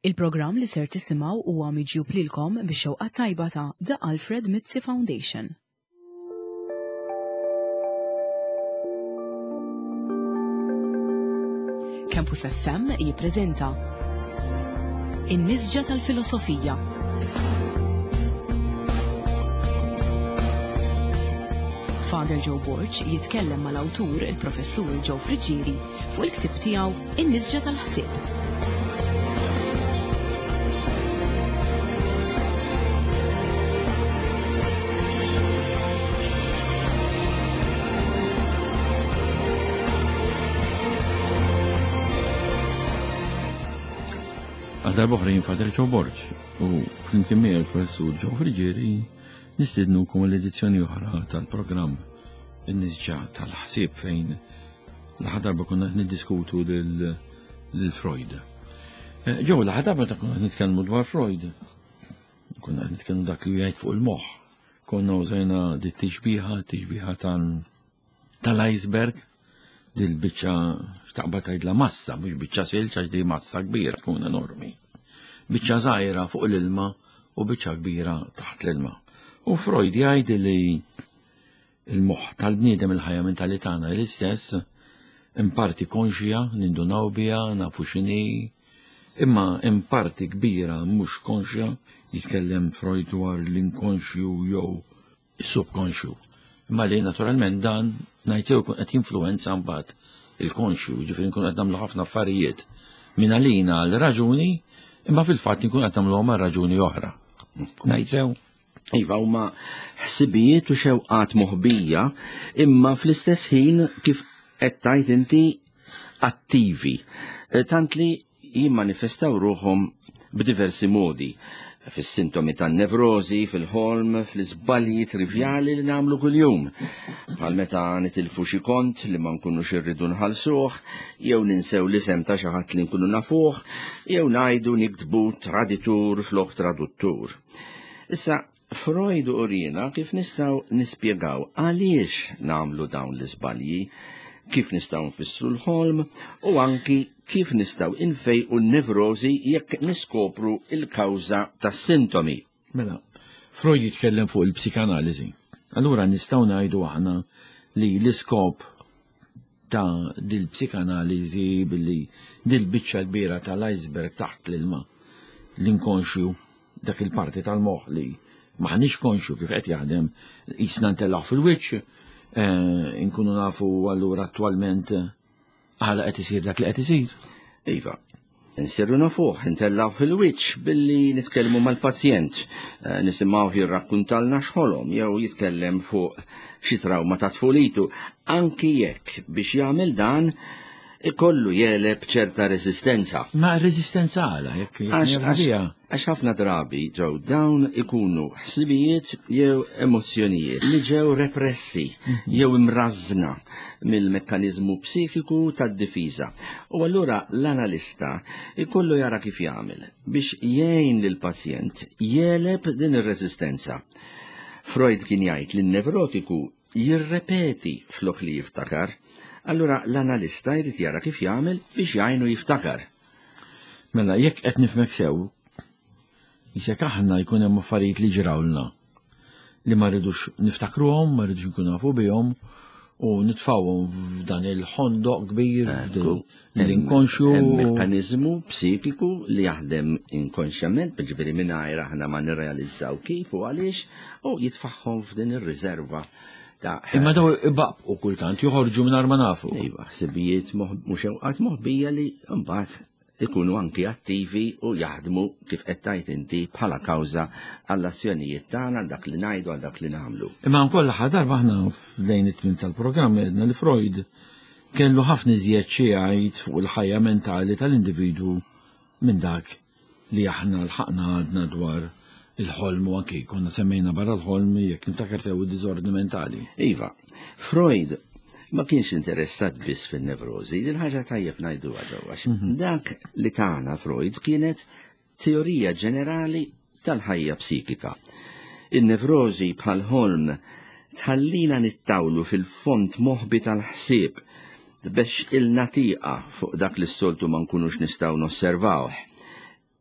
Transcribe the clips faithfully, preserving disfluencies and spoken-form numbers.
Il-programm li ser tisimgħu huwa miġjub lilkom bix-xewqa tajba ta' The Alfred Mizzi Foundation. Campus F M jippreżenta In-Nisġa tal-Filosofija. Father Joe Borg jitkellem mal-awtur il-Professur Joe Friggieri fuq il-ktieb tiegħu In-Nisġa tal-Ħsieb. Għal darba oħra jien Father Joe Borg u flimkien miegħi l-Professur Joe Friggieri nistednukom l-edizzjoni oħra tal-programm In-Nisġa tal-Ħsieb fejn l-aħħar darba konna qed niddiskutu lil, lil Freud. Eh, Joe, l-aħħar darba ta' konna qed nitkellmu dwar Freud. Konna qed nitkellmu dak li jgħid fuq il-moħħ. Konna użajna dit tixbiha, tixbiha tal-, tal-iceberg, dil-biċċa x'taqbad tgħidla massa, mhux biċċa silġ għax di massa kbira tkun enormi. Biċċa żgħira fuq l-ilma u biċċa kbira taħt l-ilma. U Freud jgħid li il-moħħ tal-bniedem, il-ħajja mentali tagħna l-istess, in parti konxja, nindunaw biha, nafu x'inhi, imma in parti kbira mhux konxja, jitkellem Freud dwar l-inkonxju jew is-subkonxju. Imma li naturalment dan ngħid sew jkun qed jinfluwenza mbagħad il-konxju, ġifieri nkun qed nagħmlu ħafna affarijiet minn għalina għal raġuni, imma fil-fatt nkun qed nagħmluhom għal raġuni oħra. Ngħid sew? Iva, huma ħsibijiet u xewqat moħbija, imma fl-istess ħin kif qed tgħid inti attivi, tant li jimmanifestaw ruħhom b'diversi modi. Fis-sintomi tan-nevrożi, fil-ħolm, fl-iżbalji trivjali li nagħmlu kuljum. Bħal meta nitilfu xi kont li ma nkunux irridu nħallsuh, jew ninsew l-isem ta' xi ħadd li nkunu nafuh, jew ngħidu niktbu traditur flok traduttur. Issa, Freud urina kif nistgħu nispjegaw għaliex nagħmlu dawn l-iżbalji, kif nistgħu nfissru l-ħolm u anki kif nistgħu infejqu n-nevrożi jekk niskopru il-kawża tas-sintomi. Mela, Freud jitkellem fuq il-psikanaliżi. Allura nistgħu ngħidu aħna li l-iskop ta' dil-psikanaliżi billi dil-biċċa kbira tal-iceberg taħt l-ilma, l-inkonxju, dak il-parti tal-moħħ li maħniex konxju kif qed jaħdem, jisna ntellgħu fil-wiċċ, eh, inkunu nafu allura attwalment għala qed isir dak li qed isir. Iva, insirru nafuh, intellgħu fil-wiċċ billi nitkellmu mal-pazjent, eh, nisimgħuh jirrakkuntalna x'ħolom jew jitkellem fuq xi trawma ta' tfulitu, anki jekk biex jagħmel dan ikollu jeleb ċerta resistenza. Ma resistenza għala, jekk jekk Għax, jekk għax, bija. għax ħafna drabi ġew dawn ikunu ħsibijiet jew emozzjonijiet li ġew repressi Mhm. jew imrażna mill-mekkaniżmu psikiku tad-difiża. U allura l-analista ikollu jara kif jagħmel biex jgħin lill-pazjent jeleb din ir-resistenza. Freud kien jgħid li n-nevrotiku jirrepeti flok li jiftakar. Allura l-analista jrid jara kif jagħmel biex jgħinu jiftakar. Mela, jekk qed nifhmek sew, jisek aħna jkun hemm affarijiet li ġrawlna li ma rridux niftakruhom, ma rridux nkunu nafu bihom u nitfgħuhom f'dan il-ħondoq kbir, Ekku. l-inkonxju. Hemm mekkaniżmu psikiku li jaħdem inkonxjament, jiġifieri mingħajr aħna ma nirrealizzaw kif u għaliex, u jitfaħħom f'din ir-riserva ta' Imma daw ibaqbqu kultant, joħorġu mingħajr ma nafu. Iva, ħsibijiet moħ-, mhux xewqat moħbija li mbagħad ikunu anki attivi u jaħdmu kif qed tgħid inti bħala kawża għall-azzjonijiet tagħna, għal dak li ngħidu, għal dak li nagħmlu. Imma wkoll l-aħħar darba aħna lejn it-tmiem tal-programm għedna li Freud kellu ħafna iżjed xi jgħid fuq il-ħajja mentali tal-individwu minn dak li aħna lħaqna għadna dwar il-ħolm u anki konna semmejna barra l-ħolm jekk niftakar sew id-diżordni mentali. Iva, Freud ma kienx interessat biss fin-nevrożi, din ħaġa tajjeb ngħiduha ġewwa, għax Mhm. dak li tagħna Freud kienet teorija ġenerali tal-ħajja psikika. In-nevrożi bħal ħolm tħallina nittawlu fil-fond moħbi tal-ħsieb biex il-natiqa fuq dak li s-soltu ma nkunux nistgħu nosservawh.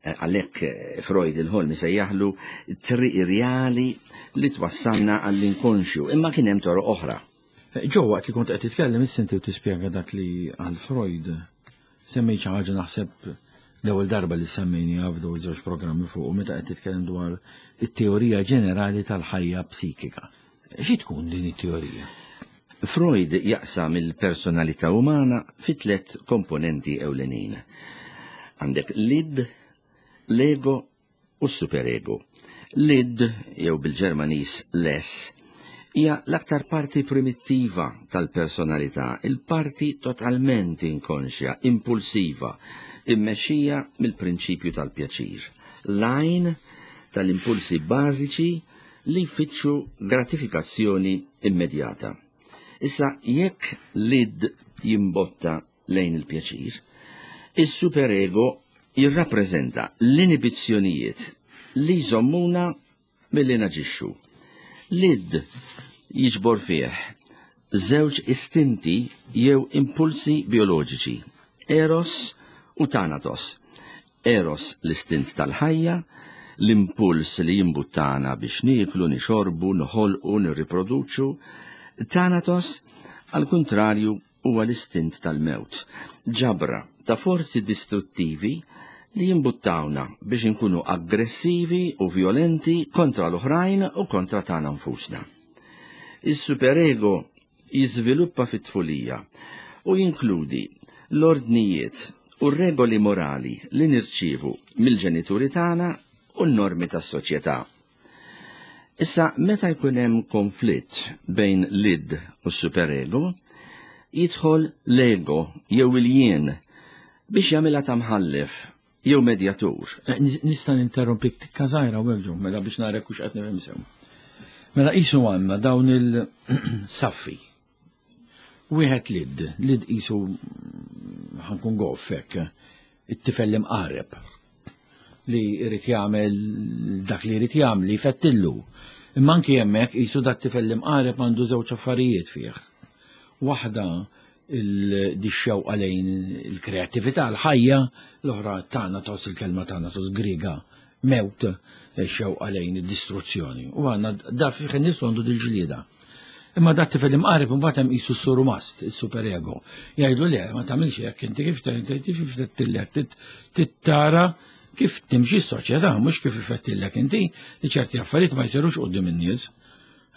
Għalhekk Freud il-ħolm isejjaħlu triq irjali li twassalna għall-inkonxju, imma kien hemm toroq oħra. Ġo, waqt li kont qed titkellem issa u tispjega dak li għal Freud, semmejt xi ħaġa naħseb l-ewwel darba li semmejni f'daw żewġ programmi fuq u meta qed titkellem dwar it-teorija ġenerali tal-ħajja psikika. Xi tkun din it-teorija? Freud jaqsam il-personalità umana fi tliet komponenti ewlenin. Għandek l-id, l-ego u s-superego. L-id, jew bil-Ġermaniż l-es, hija l-aktar parti primittiva tal-personalità, il-parti totalment inkonxja, impulsiva, immexxija mill-prinċipju tal-pjaċir. L-għajn tal-impulsi bażiċi li jfittxu gratifikazzjoni immedjata. Issa, jekk l-id jimbotta lejn il-pjaċir, is-superego jirrappreżenta l-inibizzjonijiet li jżommuna milli naġixxu. L-id jiġbor fih żewġ istinti jew impulsi bioloġiċi, eros u thanatos. Eros l-istint tal-ħajja, l-impuls li jimbuttana biex nieklu, nixorbu, noħolqu, nirriproduċu. Thanatos, al kontrarju, huwa l-istint tal-mewt, ġabra ta' forzi distruttivi li jimbuttawna biex inkunu aggressivi u violenti kontra l-oħrajn u kontra tagħna nfusna. Is-superego jiżviluppa fit-tfulija u jinkludi l-ordnijiet u r-regoli morali li nirċievu mill-ġenituri tagħna u n-normi tas-soċjetà. Issa, meta jkun hemm konflitt bejn l-id u s-superego, jidħol l-ego jew il-jien biex jagħmilha ta' mħallef jew medjatur. Eh, nista' ninterrompik tikka żgħira u ġo, mela biex narek hux qed nifhem sew. Mela qisu għandna dawn il-saffi. Wieħed l-id, l-id qisu ħa nkun goff hekk, it-tifel imqareb li jrid jagħmel dak li jrid jagħmel li jfettillu. Imma anki hemmhekk qisu dak tifel imqareb għandu żewġ affarijiet fih. Waħda il-dixxewqa lejn il-kreattività, l-ħajja, l-oħra thanatos, il-kelma thanatos Griega, mewt, xewqa lejn id-distruzzjoni. U għandna da fih nies għandu dil-ġlieda. Imma dak tifel imqareb imbagħad hemm qisu s-surmast, is-superego. Jgħidlu le, ma tagħmilx hekk, inti kif kif tillek tittara kif timxi s-soċjetà, mhux kif ifettillek inti li ċerti affarijiet ma jsirux quddiem in-nies.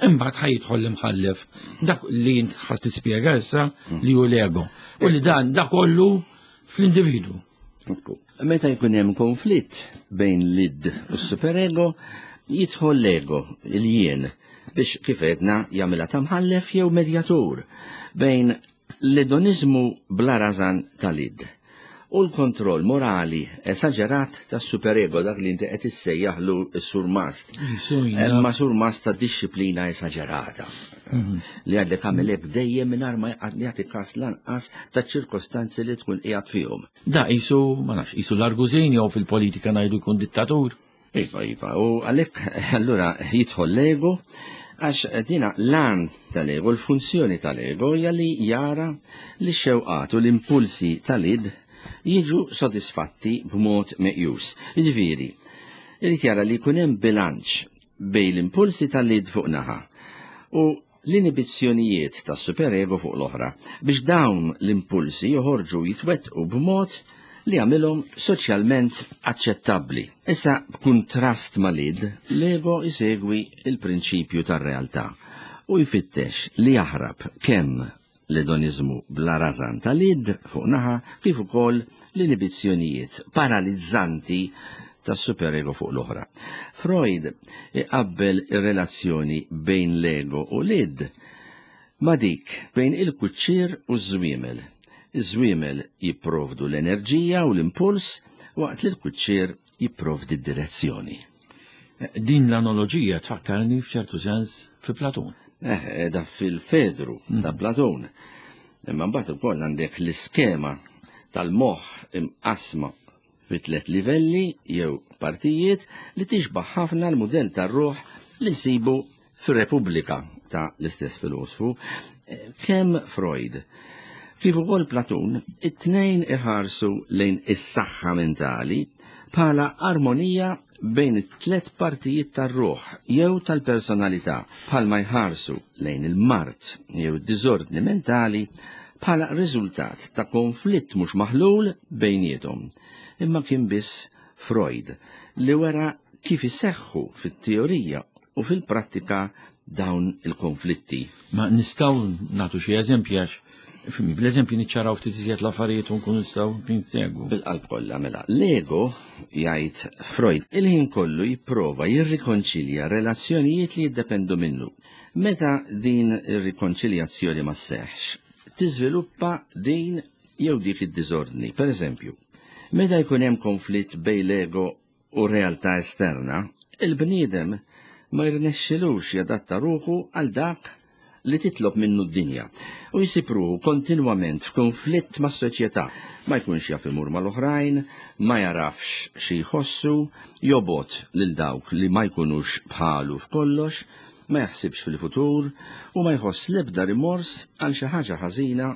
Imbagħad ħa jidħol l-imħallef dak li int ħa tispjega issa li hu l-ego. U li dan da kollu fl-individu. Meta jkun hemm konflitt bejn l-id u s-superego, jidħol l-ego, il-jien, biex kif għedna jagħmilha ta' mħallef jew medjatur bejn l-edonizmu bla rażan tal-id u l-kontroll morali esaġerat tas-superego, dak li inti qed issejjaħlu s-surmast. Ma surmast ta' disċiplina esaġerata. Li għandek għamel hekk dejjem mingħajr ma jagħti każ lanqas ta' ċirkostanzi li tkun qiegħed fihom. Da qisu, ma nafx, qisu l-argużin jew fil-politika ngħidu jkun dittatur. Iva, iva, u għalhekk allura jidħol l-ego, għax dina l-għan tal-ego, l-funzjoni tal-ego hija li jara li x-xewqat u l-impulsi tal-id jiġu sodisfatti b'mod meqjus. Jiġifieri, irid jara li jkun hemm bilanċ bejn l-impulsi tal-id fuq naħa u l-inibizzjonijiet tas-superego fuq l-oħra, biex dawn l-impulsi joħorġu jitwettqu b'mod li jagħmilhom soċjalment aċċettabbli. Issa, b'kuntrast mal-id, l-ego jsegwi il-prinċipju tar-realtà u jfittex li jaħrab kemm l-edonizmu bla rażan tal-id fuq naħa kif ukoll l-inibizzjonijiet paralizzanti tas-superego fuq l-oħra. Freud iqabbel ir-relazzjoni bejn l-ego u l-id ma dik bejn il-kuċċier u ż-żwiemel. Iż-żwiemel jipprovdu l-enerġija u l-impuls waqt li l-kuċċier jipprovdi d-direzzjoni. Din l-analoġija tfakkarni f'ċertu sens fi Platun. Eh, da fil-Fedru ta' Platun. Imma mbagħad ukoll għandek l-iskema tal-moħħ imqasma fi tliet livelli jew partijiet li tixbaħ ħafna l-mudell tar-ruħ li nsibu fir-Repubblika ta' l-istess filosfu. Kemm Freud kif ukoll Platun, it-tnejn iħarsu lejn is-saħħa mentali bħala armonija bejn it-tlet partijiet tar-ruħ jew tal-personalità, bħalma jħarsu lejn il-mard jew id-diżordni mentali bħala riżultat ta' konflitt mhux maħlul bejniethom. Imma kien biss Freud li wera kif iseħħu fit-teorija u fil-prattika dawn il-konflitti. Ma nistgħu nagħtu xi eżempji għax fimi, bl-eżempji niċċaraw ftit iżjed l-affarijiet u nkunu nistgħu ninsegwu. Bil-qalb kollha mela. L-ego, jgħid Freud, il-ħin kollu jipprova jirrikonċilja relazzjonijiet li jiddependu minnu. Meta din ir-rikonċiljazzjoni ma sseħħx, tiżviluppa din jew dik id-diżordni. Per eżempju, meta jkun hemm konflitt bejn l-ego u realtà esterna, il-bniedem ma jirnexxilux jadatta ruħu għal dak li titlob minnu d-dinja u jsib ruħu kontinwament f'konflitt mas soċjetà, ma jkunx jaf imur mal-oħrajn, ma jarafx xi jħossu, jobgħod lil dawk li ma jkunux bħalu f'kollox, ma jaħsibx fil-futur u ma jħoss l-ebda rimors għal xi ħaġa ħażina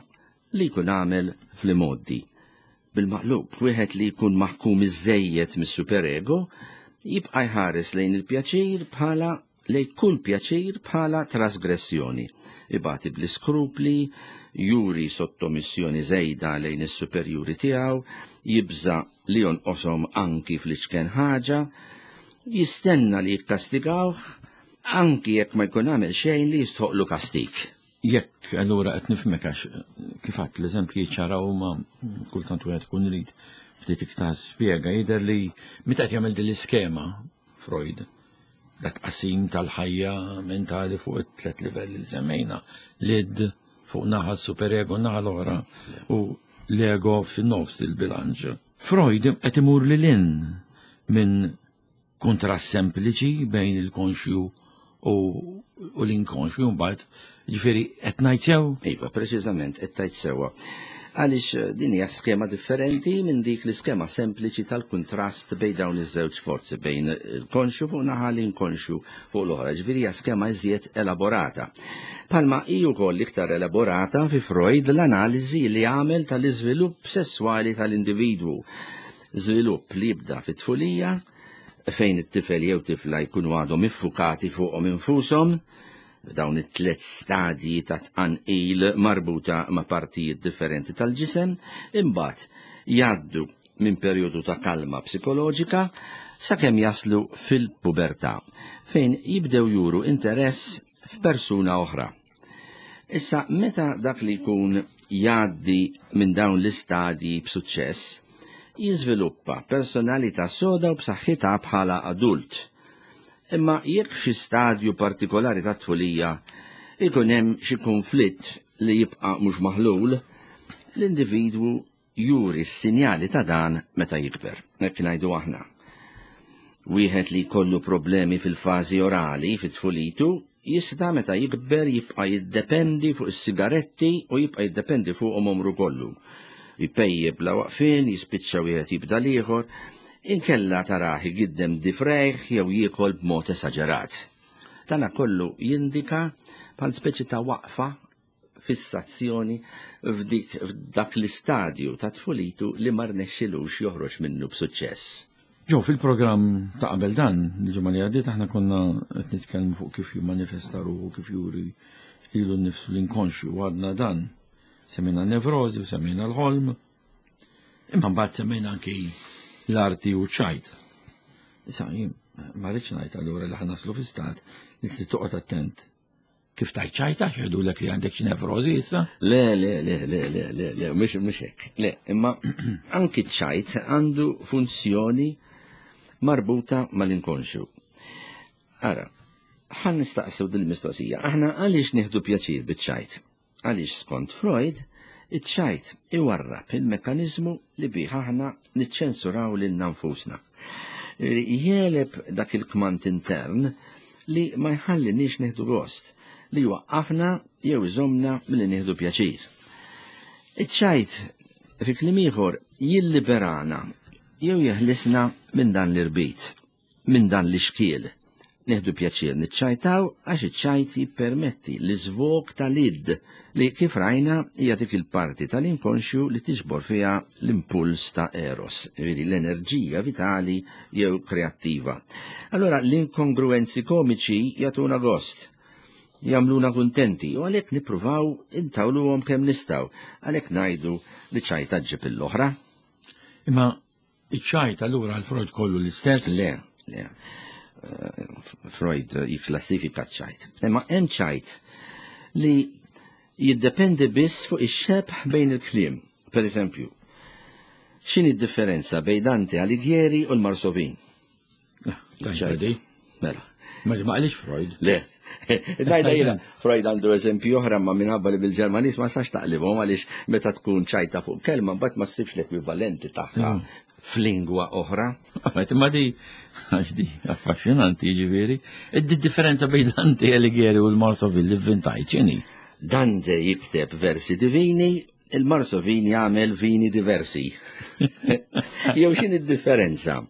li jkun għamel fl-imgħoddi. Bil-maqlub, wieħed li jkun maħkum iżejjed mis-superego jibqa' jħares lejn il-pjaċir bħala lejn kull pjaċir bħala trasgressjoni. Ibati bl-iskrupli, juri sottomissjoni żejda lejn is-superjuri tiegħu, jibża li jonqoshom anki fl-iċken ħaġa, jistenna li jikkastigawh anki jekk ma jkun għamel xejn li jistħoqlu kastig. Jekk allura qed nifhmek għax kif għadt l-eżempji ċaraw ma kultant wieħed ikun irid ftit iktar spjega, jidher li meta qed jagħmel din l-iskema Freud, dat tqassim tal-ħajja mentali fuq it-tlet livelli li semmejna, l-id fuq naħa superego naħa l-oħra u l-ego fin-nofs il-bilanċ. Freud qed imur lil hinn minn kontrast sempliċi bejn il-konxju u u l-inkonxju mbagħad, ġifieri qed ngħid sew? Iva, preċiżament qed tgħid sewwa. Għaliex din hija skema differenti minn dik l-iskema sempliċi tal-kuntrast bejn dawn iż-żewġ forzi, bejn il-konxju fuq naħa l-inkonxju fuq l-oħra. Ġifieri hija skema iżjed elaborata. Palma hi wkoll iktar elaborata fi Freud l-analiżi li għamel tal-iżvilupp sesswali tal-individwu. Żvilupp li jibda fit-tfulija, fejn it-tifel jew tifla jkunu għadhom iffukati fuqhom infushom, dawn it-tliet stadji ta' tqanqil marbuta ma' partijiet differenti tal-ġisem, imbagħad jgħaddu minn perjodu ta' kalma psikoloġika sakemm jaslu fil-pubertà, fejn jibdew juru interess f'persuna oħra. Issa, meta dak li jkun jgħaddi minn dawn l-istadji b'suċċess, jiżviluppa personalità soda u b'saħħitha bħala adult. Imma jekk f'xi stadju partikolari ta' tfulija ikun hemm xi konflitt li jibqa' mhux maħlul, l-individwu juri s-sinjali ta' dan meta jikber. Hekk ngħidu aħna. Wieħed li jkollu problemi fil-fażi orali fit-tfulitu jista' meta jikber jibqa' jiddependi fuq is-sigaretti u jibqa' jiddependi fuqhom omru kollu. Jpejjeb bla waqfien, jispiċċa wieħed jibda l-ieħor, inkella tarah igiddem difrejh jew jiekol b'mod esaġerat. Tana kollu jindika bħal speċi ta' waqfa fissazzjoni f'dik f'dak l-istadju ta' tfulitu li ma rnexxilux joħroġ minnu b'suċċess. Ġo, fil-programm ta' qabel dan, il-ġimgħa li għaddiet aħna konna qed nitkellmu fuq kif jimmanifesta ruħu, kif juri lilu nnifsu l-inkonxju, u għadna dan. Semmejna nevrożi u semmejna l-ħolm, imma mbagħad semmejna anki l-arti u ċajt. Issa, jien ma rridx ngħid allura li ħa naslu fi stat li trid toqgħod attent. Kif tajt ċajta x'jgħidulek li għandek xi nevrożi issa? Le, le, le, le, le, le, le, mhux mhux hekk. Le, imma anki ċajt għandu funzjoni marbuta mal-inkonxju. Ara, ħan nistaqsu dil-mistoqsija, aħna għaliex nieħdu pjaċir biċ-ċajt? Għaliex skont Freud, iċ-ċajt iwarrab il-mekkaniżmu li bih aħna niċċensuraw lilna nfusna. Jeleb dak il-kmand intern li ma jħallinix nieħdu gost, li waqqafna jew iżomna milli nieħdu pjaċir. Iċ-ċajt fi kliem ieħor jilliberana jew jeħlisna minn dan l-irbit, minn dan l-ixkiel Nieħdu pjaċir niċċajtaw għax iċ-ċajt jippermetti l-iżvog tal-id li kif rajna hija dik il-parti tal-inkonxju li tiġbor fiha l-impuls ta' eros, jiġifieri l-enerġija vitali jew kreattiva. Allora l-inkongruenzi komiċi jagħtuna gost, jagħmluna kuntenti u għalhekk nippruvaw intawluhom kemm nistgħu, għalhekk ngħidu li ċajta ġġib l-oħra. Imma iċ-ċajt allura għal Freud kollu l-istess? Le, le. Freud jikklassifika ċajt. Imma hemm ċajt li jiddependi biss fuq ix-xebh bejn il-kliem. Per eżempju, x'inhi d-differenza bejn Dante Alighieri u l-Marsovin? Ċajt. Mela. Ma ma qalix Freud. Le. Ngħidha jiena, Freud għandu eżempju oħra ma minħabba li bil-Ġermaniż ma sax taqlibhom għaliex meta tkun ċajta fuq kelma mbagħad ma ssibx l-ekwivalenti tagħha f'lingwa oħra. Għet, ma di, għax di, affaxxinanti ġifieri. Id-differenza bejn Dante Alighieri u l-Marsovin li vvintajt x'inhi? Dante jikteb versi divini, il-Marsovin jagħmel vini diversi. Jew x'inhi d-differenza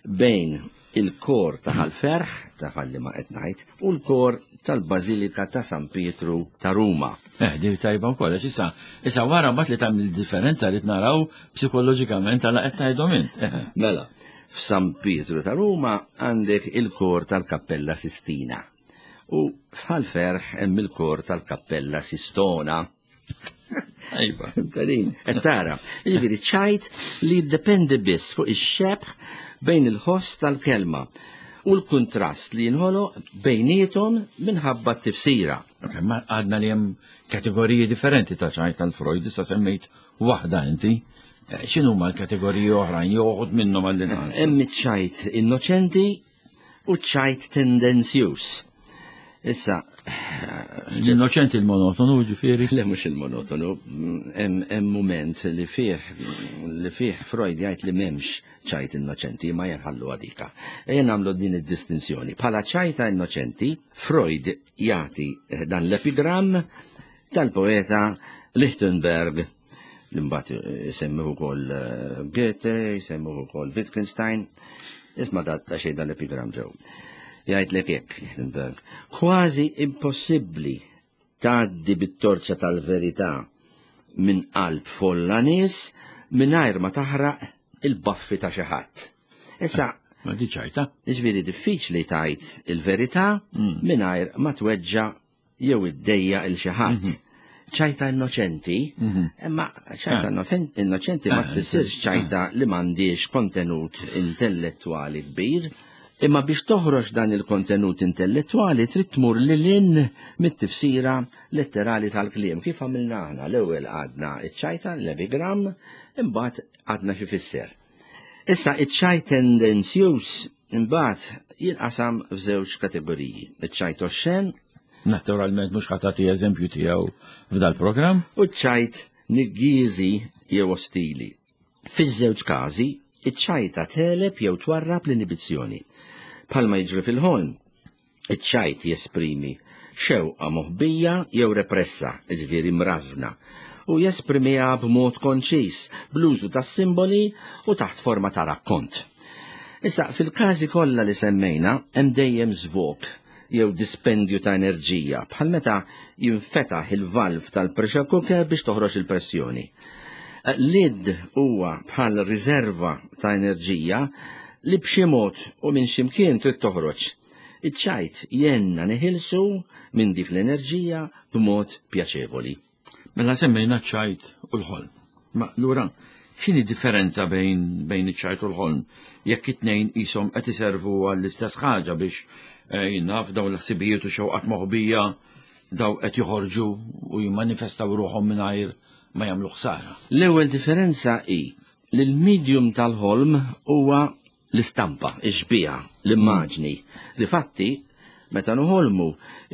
bejn il-kor ta' Ħal-Ferħ, ta' falli ma qed ngħid, u l-kor tal-Bażilika ta' San Pietru ta' Ruma. Eh, di tajba wkoll, għax issa, issa wara mbagħad li tagħmel differenza li naraw psikoloġikament għala qed tgħidhom int. Eh. Mela, f'San Pietru ta' Ruma għandek il-kor tal-Kappella Sistina u f'Ħal-Ferħ hemm il-kor tal-Kappella Sistona. Ejba. Tarin, qed tara, jiġifieri ċajt li jiddependi biss fuq ix-xebh bejn il-ħoss tal-kelma u l-kuntrast li jinħoloq bejniethom minħabba t-tifsira. Ok, ma għadna li hemm kategoriji differenti ta' ċajt tal-Freud, issa semmejt waħda inti. Eh, X'inhuma l-kategoriji oħrajn jew uħud minnhom għall-inqas? Hemm iċ-ċajt innoċenti u ċ-ċajt tendenzjuż. Issa, L-innoċenti l-monotonu ġifieri. le mhux il-monotonu, hemm hemm mument li fih li fih Freud jgħid li m'hemmx ċajt innoċenti, ma jenħallu għadika. Ejja nagħmlu din id-distinzjoni. Bħala ċajta innoċenti, Freud jagħti eh, dan l-epigram tal-poeta Lichtenberg li mbagħad jsemmuh ukoll eh, Goethe, jsemmuh ukoll Wittgenstein. Isma' da ta' xejn dan l-epigram ġew. Jgħidlek hekk Lichtenberg, kważi impossibbli tgħaddi bit-torċa tal-verità minn qalb folla nies mingħajr ma taħraq il-baffi ta' xi ħadd. Issa, Ma di ċajta. jiġifieri diffiċli tgħid il-verità Mm. mingħajr ma tweġġa' jew iddejja il xi ħadd. Ċajta innoċenti, Mhm. imma ċajta Ah. innofen- innoċenti ma Ah, tfissirx ċajta li m'għandix kontenut intellettwali kbir, imma biex toħroġ dan il-kontenut intellettwali trid tmur lil hinn mit-tifsira letterali tal-kliem. Kif għamilna aħna? L-ewwel għadna iċ-ċajta, l-epigram, imbagħad għadna xi fisser. Issa iċ-ċajt tendenzjuż imbagħad jinqasam f'żewġ kategoriji. Iċ-ċajt oxxen Naturalment mhux ħa tagħti eżempju tiegħu f'dal-programm. u ċ-ċajt niggieżi jew ostili. Fiż-żewġ każi, iċ-ċajta teleb jew twarrab l-inibizzjoni. Bħalma jiġri fil-ħolm, iċ-ċajt jesprimi xewqa moħbija jew repressa, jiġifieri mrażna, u jesprimiha b'mod konċis, bl-użu tas-simboli u taħt forma ta' rakkont. Issa, fil-każi kollha li semmejna, hemm dejjem żvok jew dispendju ta' enerġija, bħal meta jinfetaħ il-valv tal-pressure cooker biex toħroġ il-pressjoni. L-id huwa bħal riserva ta' enerġija li b'xi mod u minn xi mkien trid toħroġ. Iċ-ċajt jenna neħilsu minn dik l-enerġija b'mod pjaċevoli. Mela semmejna ċ-ċajt u l-ħolm. Ma lura, x'inhi differenza bejn bejn iċ-ċajt u l-ħolm? Jekk it-tnejn qishom qed iservu għall-istess ħaġa biex eh, jinnaf dawn l-ħsibijiet u xewqat moħbija daw qed joħorġu u jimmanifestaw ruħhom mingħajr ma jagħmlu ħsara. L-ewwel differenza hi li l-medium tal-ħolm huwa l-istampa, ix-xbieha, l-immaġni. Difatti, meta noħolmu,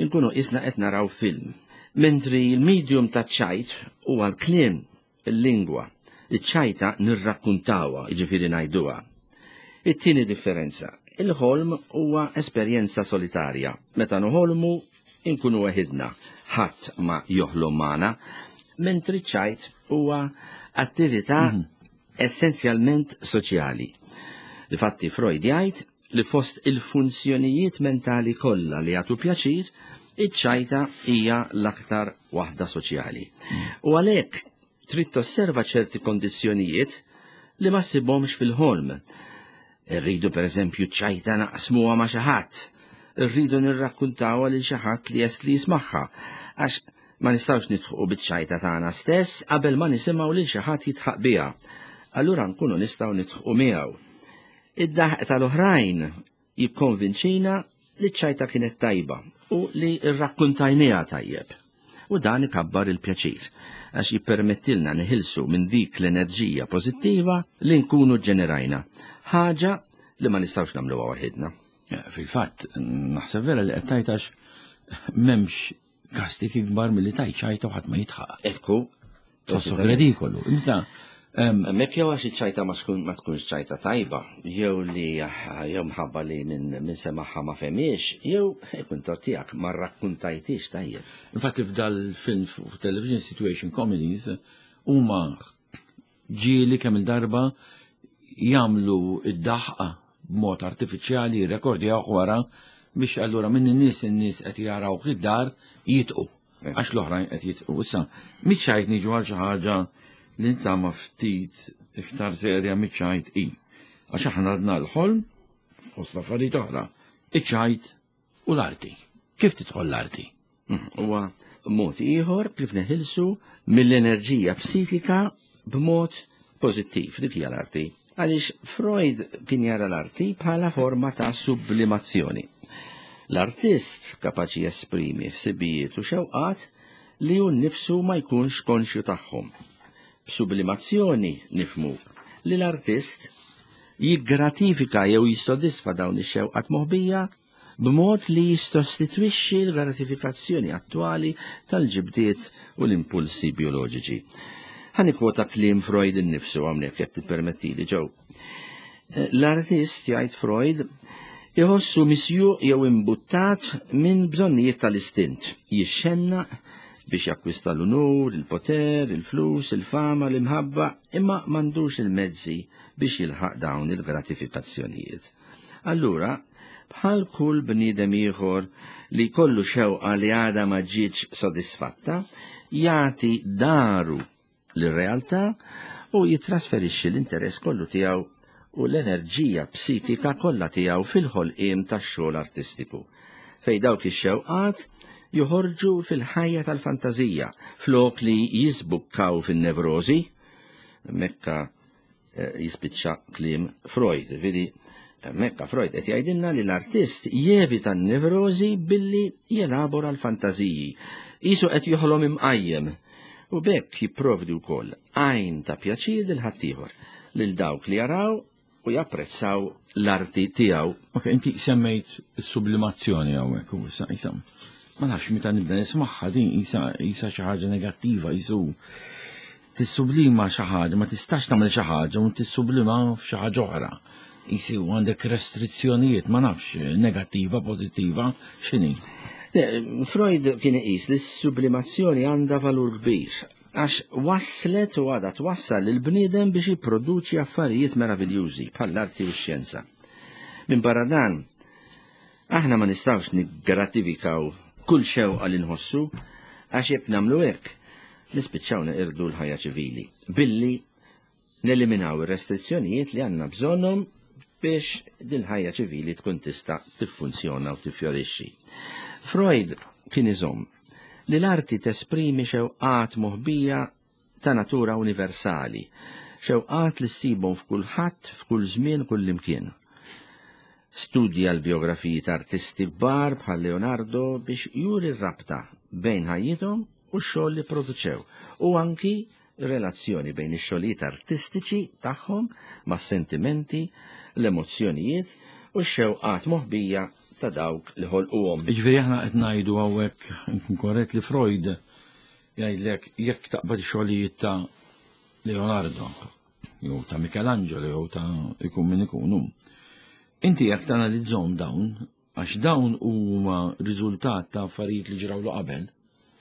inkunu isna qed naraw film. Mentri l-medium taċ-ċajt huwa l-kliem, il-lingwa. Iċ-ċajta nirrakkuntawha, jiġifieri ngħiduha. It-tieni differenza, il-ħolm huwa esperjenza solitarja. Meta noħolmu, inkunu weħidna, ħadd ma joħlom magħna, mentri ċ-ċajt huwa attività essenzjalment soċjali. Difatti Freud jgħid li fost il-funzjonijiet mentali kollha li jagħtu pjaċir, iċ-ċajta hija l-aktar waħda soċjali. U għalhekk trid tosserva ċerti kondizzjonijiet li ma ssibhomx fil-ħolm. Irridu pereżempju ċajta naqsmuha ma' xi ħadd. Irridu nirrakkuntawha lil xi ħadd li jest li jismagħha, għax ma nistgħux nidħqu biċ-ċajta tagħna stess qabel ma nisimgħu lil xi ħadd jidħaq biha. Allura nkunu nistgħu nidħqu miegħu. Id-daħq tal-oħrajn jikkonvinċina li ċ-ċajta kienet tajba u li rrakkuntajniha tajjeb. U dan ikabbar il-pjaċir, għax jippermettilna neħilsu minn dik l-enerġija pożittiva li nkunu ġenerajna, ħaġa li ma nistgħux nagħmluha waħedna. Fil-fatt, naħseb vera li qed tgħid għax m'hemmx kastik ikbar milli tgħid ċajta u ħadd ma jidħaq. Ekku. Tħossok redikolu. Inta Hemmhekk jew għax iċ-ċajta ma tkunx ċajta tajba, jew li jew mħabba li minn semagħha ma fehmiex, jew ikun tort tiegħek ma rrakkuntajtix tajjeb. Infatti f'dal-film fuq television situation comedies huma ġieli kemm il-darba jagħmlu id-daħqa b'mod artifiċjali, jirrekordjaw wara biex allura minn in-nies in-nies qed jaraw id-dar jitqu għax l-oħrajn qed jitqu. Issa miċ-ċajt niġu għal xi ħaġa li nitama ftit iktar serja miċ-ċajt i. Għax aħna għadna l-ħolm fost affarijiet oħra, iċ-ċajt u l-arti. Kif tidħol l-arti? Huwa mod ieħor kif neħilsu mill-enerġija psikika b'mod pożittiv, dik hija l-arti. Għaliex Freud kien jara l-arti bħala forma ta' sublimazzjoni. L-artist kapaċi jesprimi ħsibijiet u xewqat li hu nnifsu ma jkunx konxju tagħhom. B'sublimazzjoni nifmu li l-artist jiggratifika jew jissodisfa dawn ix-xewqat moħbija b'mod li jistostitwixxi l-gratifikazzjoni attwali tal-ġibdiet u l-impulsi bioloġiċi. Ħa nikkwota kliem Freud innifsu hawnhekk jekk tippermettili ġew. L-artist, jgħid Freud, iħossu misjuq jew imbuttat minn bżonnijiet tal-istint, jixxennaq biex jakkwista l-unur, il-poter, il-flus, il-fama, l-imħabba, imma m'għandux il-mezzi biex jilħaq dawn il-gratifikazzjonijiet. Allura, bħal kull bniedem ieħor li kollu xewqa li għadha ma ġietx sodisfatta, jagħti daru lir-realtà u jitrasferixxi l-interess kollu tiegħu u l-enerġija psikika kollha tiegħu fil-ħolqien tax-xogħol artistiku, fejn dawk ix-xewqat joħorġu fil-ħajja tal-fantażija flok li jisbukkaw fin-nevrożi. Mekka jispiċċa kliem Freud, vidi Mekka Freud qed jgħidilna li l-artist jevita n-nevrożi billi jelabora l-fantażiji, qisu qed joħlom imqajjem, u bekk jipprovdi wkoll għajn ta' pjaċir lil ħaddieħor, lil dawk li jaraw u japprezzaw l-arti tiegħu. Ok, inti semmejt is-sublimazzjoni hawnhekk u issa isa ma nafx meta nibda nismagħha din isa isa xi ħaġa negattiva, jisu tissublima xi ħaġa, ma tistax tagħmel xi ħaġa u tissublima f'xi ħaġa oħra. Isi u għandek restrizzjonijiet, ma nafx, negattiva, pożittiva, x'inhi? Freud kien iqis li s-sublimazzjoni għandha valur kbir, għax waslet u għadha twassal lil bniedem biex jipproduċi affarijiet meraviljużi bħall-arti u x-xjenza. Minn barra dan, aħna ma nistgħux niggratifikaw kull xewqa li nħossu, għax jekk nagħmlu hekk, nispiċċaw neqirdu l-ħajja ċivili, billi neliminaw ir-restrizzjonijiet li għandna bżonnhom biex din ħajja ċivili tkun tista' tiffunzjona u tifjorixxi. Freud kien iżomm li l-arti tesprimi xewqat moħbija ta' natura universali, xewqat li ssibhom f'kulħadd, f'kull żmien, kull imkien. Studja l-biografiji ta' artisti kbar bħal Leonardo biex juri r-rabta bejn ħajjithom u x-xogħol li produċew, u anki relazzjoni bejn ix-xogħlijiet artistiċi tagħhom mas-sentimenti, l-emozzjonijiet u x-xewqat moħbija ta' dawk li ħolquhom. Jiġifieri aħna qed ngħidu hawnhekk nkun korrett li Freud jgħidlek jekk taqbad ix-xogħlijiet ta' Leonardo jew ta' Michelangelo jew ta' ikun min ikunu. Inti jekk tanalizzhom dawn, għax dawn huma riżultat ta' affarijiet li ġrawlu qabel,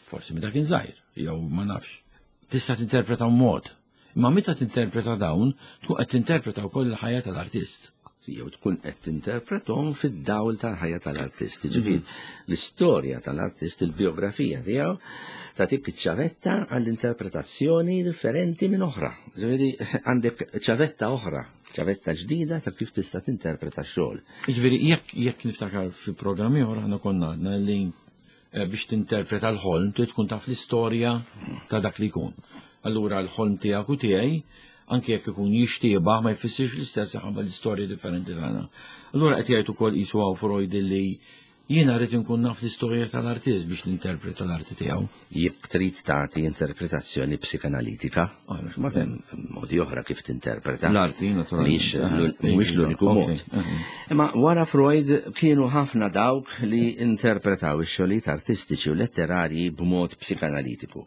forsi meta kien żgħir, jew ma nafx, tista' tinterpreta mod. Imma meta tinterpreta dawn, tkun qed tinterpreta wkoll il-ħajja tal-artist. jew tkun qed tinterpretom fid-dawl tal-ħajja tal-artist. Ġifieri l-istorja tal-artist, il-biografija tiegħu tagħtik ċavetta għall-interpretazzjoni differenti minn oħra. Ġifieri għandek ċavetta oħra, ċavetta ġdida ta' kif tista' tinterpreta x-xogħol. Ġifieri jekk jekk niftakar fi programmi oħra aħna konna għadna li eh, biex tinterpreta l-ħolm trid tkun taf l-istorja ta' dak li jkun. Allura l-ħolm tiegħek u tiegħi anke jekk ikun jixtieba ma jfissirx l-istess ħabba l-istorja differenti tagħna. Allura qed jgħid ukoll qisu hawn Freud li jiena rrid inkun naf l-istorja tal-artist biex ninterpreta l-arti tiegħu. Jekk trid tagħti interpretazzjoni psikanalitika, ma hemm modi oħra kif tinterpreta. L-arti, naturalment. Mhuwiex l-uniku mod. Imma wara Freud kienu ħafna dawk li interpretaw ix-xogħlijiet artistiċi u letterarji b'mod psikanalitiku.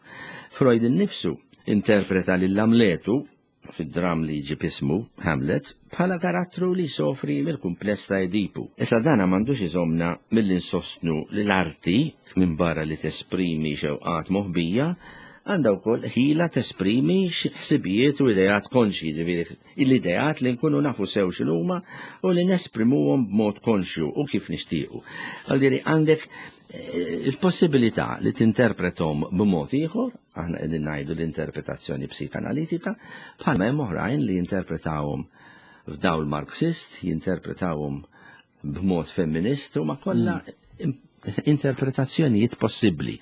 Freud innifsu interpreta lil Amletu fid-dram li ġib ismu Hamlet bħala karattru li sofri mill-kumpless ta' Edipu. Issa dana m'għandux iżomna milli nsostnu li l-arti minn barra li tesprimi xewqat moħbija għandha wkoll ħila tesprimi ħsibijiet u ideat konxji, ġifieri l-ideat li nkunu nafu sew x'inhuma u li nesprimuhom b'mod konxju u kif nixtiequ. Għaldieri għandek il-possibilità li tinterpretom b'mod ieħor, aħna qegħdin ngħidu l-interpretazzjoni psikanalitika, bħalma hemm oħrajn li jinterpretawhom f'dawl Marxist, jinterpretawhom b'mod femminist, u ma kollha interpretazzjonijiet possibbli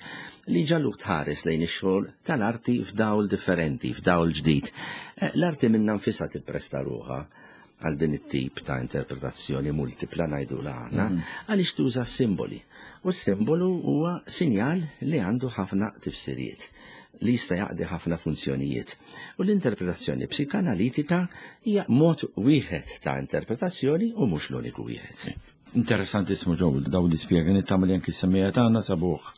li ġalluk tħares lejn ix-xogħol tal-arti f'dawl differenti, f'dawl ġdid. L-arti minnha nfisha tippresta ruħha għal din it-tip ta' interpretazzjoni multipla ngħidu aħna, għaliex tuża simboli. U s-simbolu huwa sinjal li għandu ħafna tifsiriet, li jista' jaqdi ħafna funzjonijiet. U l-interpretazzjoni psikanalitika hija mod wieħed ta' interpretazzjoni u mhux l-uniku wieħed. Interessantissmu ġew daw l-ispjega nittama li anki s-semmejja tagħna sabuh.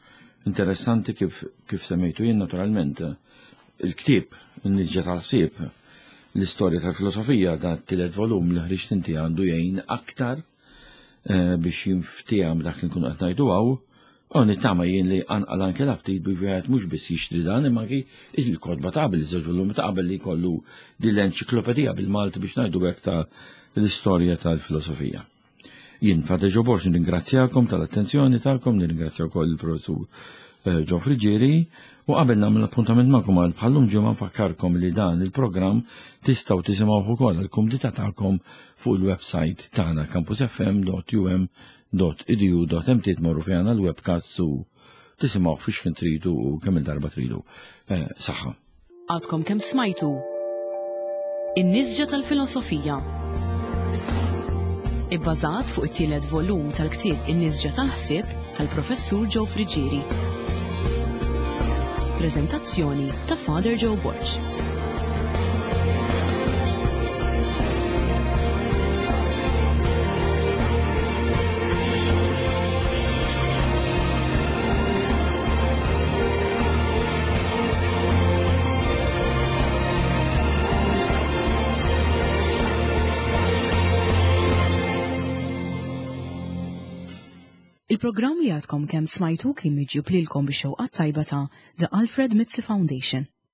Interessanti kif kif semmejtu jien naturalment il-ktieb in-nisġa tal-ħsieb, l-istorja tal-filosofija da t-tielet volum li ħriġt inti għandu jgħin aktar biex jinftihom dak li nkunu qed ngħidu hawn. U nittama jien li anqal anke l-aptit biex wieħed mhux biss jixtri dan imma anki il-kotba ta' qabel, iż-żewġ volumi ta' qabel li jkollu din l-enċiklopedija bil-Malti biex ngħidu hekk ta' l-istorja tal-filosofija. Jien Father Joe Borg nirringrazzjakom tal-attenzjoni tagħkom, nirringrazzja wkoll il-professur Joe Friggieri, u qabel nagħmel appuntament magħkom għal bħallum ġimgħa nfakkarkom li dan il-programm tistgħu tisimgħuh ukoll għall-kumdità tagħkom fuq il-website tagħna campus f m dot u m dot e d u dot m t, tmorru fejn għandna l-webcast u tisimgħuh fiex kien tridu u kemm il-darba tridu. Saħħa. Għadkom kemm smajtu In-nisġa tal-filosofija. Ibbażat fuq it-tielet volum tal-ktieb In-nisġa tal-ħsieb tal-Professur Joe Friggieri. Prezentazzjoni ta' Father Joe Borg. Il-programm li għadkom kemm smajtu kien miġjub lilkom bix-xewqa tajba ta' The Alfred Mizzi Foundation.